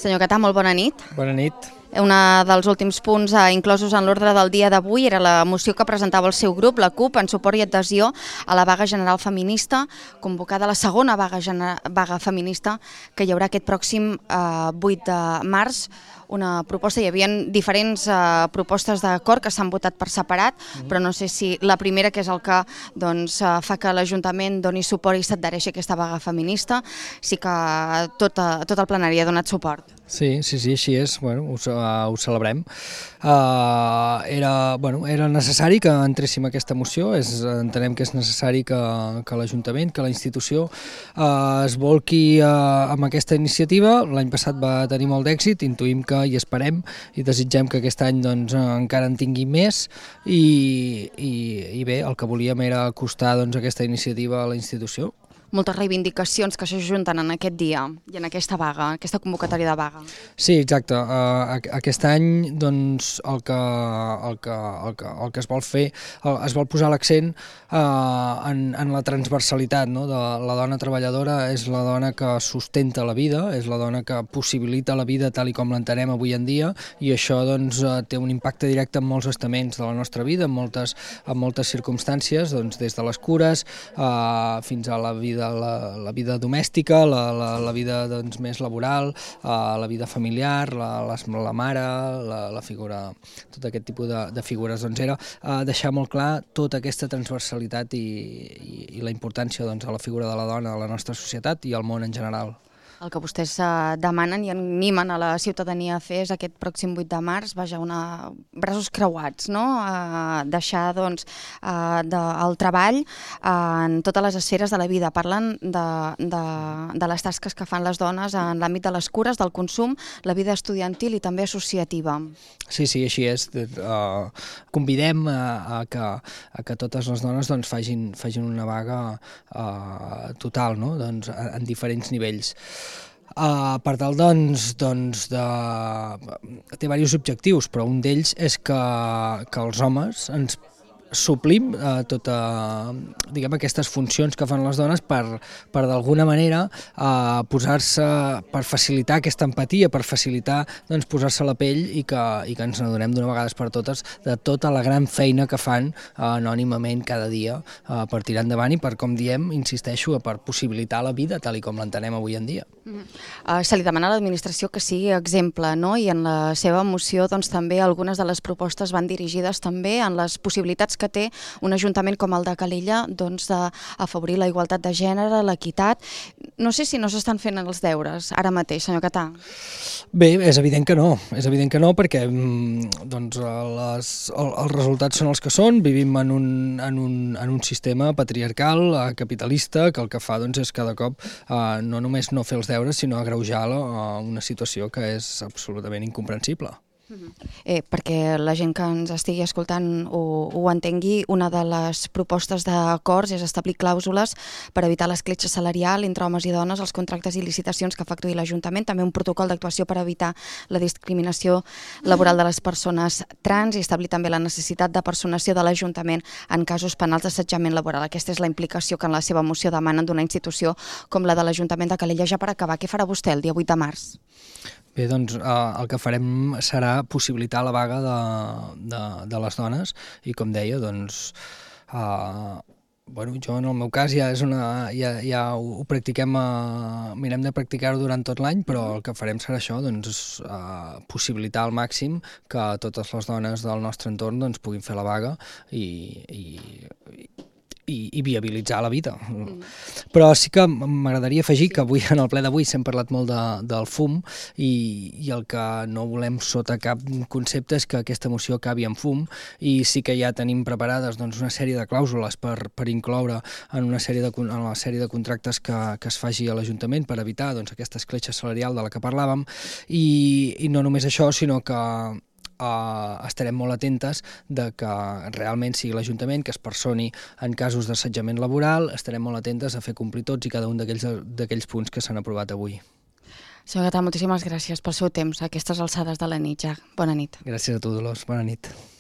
Senyor Catà, molt bona nit. Bona nit. Un dels últims punts inclosos en l'ordre del dia d'avui era la moció que presentava el seu grup, la CUP, en suport i adhesió a la vaga general feminista, convocada la segona vaga feminista que hi haurà aquest pròxim 8 de març. Una proposta, hi havia diferents propostes d'acord que s'han votat per separat, però no sé si la primera, que és el que fa que l'Ajuntament doni suport i s'adhereixi a aquesta vaga feminista, sí que tot el plenari ha donat suport. Sí, així és, ho celebrem. Era necessari que entréssim a aquesta moció, entenem que és necessari que l'Ajuntament, que la institució es volqui amb aquesta iniciativa. L'any passat va tenir molt d'èxit, intuïm que i esperem i desitgem que aquest any encara en tingui més i bé, el que volíem era acostar aquesta iniciativa a la institució. Moltes reivindicacions que s'ajunten en aquest dia i en aquesta vaga, aquesta convocatòria de vaga. Sí, exacte. Aquest any el que es vol fer, es vol posar l'accent en la transversalitat, no? La dona treballadora és la dona que sustenta la vida, és la dona que possibilita la vida tal i com l'entenem avui en dia, i això té un impacte directe en molts estaments de la nostra vida, en moltes circumstàncies, des de les cures fins a la vida domèstica, la vida més laboral, la vida familiar, la mare, la figura, tot aquest tipus de figures. Era deixar molt clar tota aquesta transversalitat i la importància de la figura de la dona a la nostra societat i al món en general. El que vostès demanen i animen a la ciutadania a fer és aquest pròxim 8 de març, braços creuats, no? Deixar el treball en totes les esferes de la vida. Parlen de les tasques que fan les dones en l'àmbit de les cures, del consum, la vida estudiantil i també associativa. Sí, així és. Convidem a que totes les dones facin una vaga total, no? En diferents nivells. Per tal, té diversos objectius, però un d'ells és que els homes ens suplim aquestes funcions que fan les dones per d'alguna manera posar-se, per facilitar aquesta empatia, per facilitar posar-se a la pell i que ens n'adonem d'una vegada per totes de tota la gran feina que fan anònimament cada dia per tirar endavant i per, com diem, insisteixo, per possibilitar la vida tal i com l'entenem avui en dia. Se li demana a l'administració que sigui exemple, no? I en la seva moció també algunes de les propostes van dirigides també en les possibilitats que té un ajuntament com el de Calella d'afavorir la igualtat de gènere, l'equitat. No sé si no s'estan fent els deures ara mateix, senyor Catà. Bé, és evident que no perquè els resultats són els que són. Vivim en un sistema patriarcal, capitalista, que el que fa és cada cop no només no fer els deures, sinó agreujar una situació que és absolutament incomprensible. Perquè la gent que ens estigui escoltant ho entengui, una de les propostes d'acords és establir clàusules per evitar l'escletxa salarial entre homes i dones, els contractes i licitacions que efectuï l'Ajuntament, també un protocol d'actuació per evitar la discriminació laboral de les persones trans i establir també la necessitat de personació de l'Ajuntament en casos penals d'assetjament laboral. Aquesta és la implicació que en la seva moció demanen d'una institució com la de l'Ajuntament de Calella. Ja per acabar, què farà vostè el dia 8 de març? Bé, el que farem serà possibilitar la vaga de les dones i, com deia, jo en el meu cas ja ho practiquem, mirem de practicar-ho durant tot l'any, però el que farem serà això, possibilitar al màxim que totes les dones del nostre entorn puguin fer la vaga i viabilitzar la vida. Però sí que m'agradaria afegir que avui, en el ple d'avui, s'hem parlat molt del fum i el que no volem sota cap concepte és que aquesta moció acabi en fum, i sí que ja tenim preparades una sèrie de clàusules per incloure en la sèrie de contractes que es faci a l'Ajuntament per evitar aquesta escletxa salarial de la que parlàvem, i no només això, sinó que estarem molt atentes de que realment sigui l'Ajuntament que es personi en casos d'assetjament laboral. Estarem molt atentes a fer complir tots i cada un d'aquells punts que s'han aprovat avui. Senyor Catà, moltíssimes gràcies pel seu temps a aquestes alçades de la nit ja. Bona nit. Gràcies a tu, Dolors. Bona nit.